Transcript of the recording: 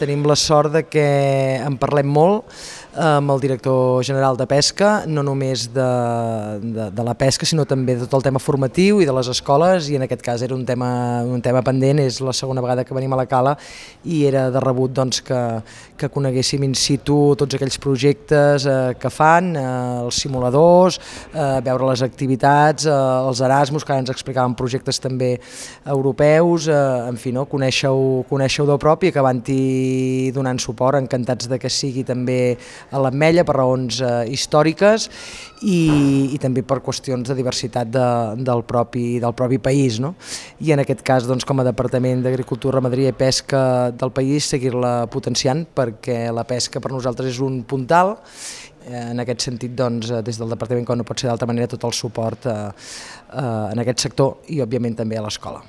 Tenim la sort de que en parlem molt amb el director general de Pesca, no només de la pesca, sinó també de tot el tema formatiu i de les escoles, i en aquest cas era un tema pendent. És la segona vegada que venim a la Cala i era de rebut doncs, que coneguéssim in situ tots aquells projectes que fan, els simuladors, veure les activitats, els Erasmus, que ara ens explicaven projectes també europeus, en fi, no? Conèixer-ho de prop i acabar-hi donant suport, encantats de que sigui també a l'Ametlla per raons històriques i també per qüestions de diversitat del propi país, no? I en aquest cas, doncs, com a Departament d'Agricultura, Ramaderia i Pesca del país, seguir-la potenciant, perquè la pesca per nosaltres és un puntal. En aquest sentit, doncs, des del Departament, com no pot ser d'altra manera, tot el suport en aquest sector i, òbviament, també a l'escola.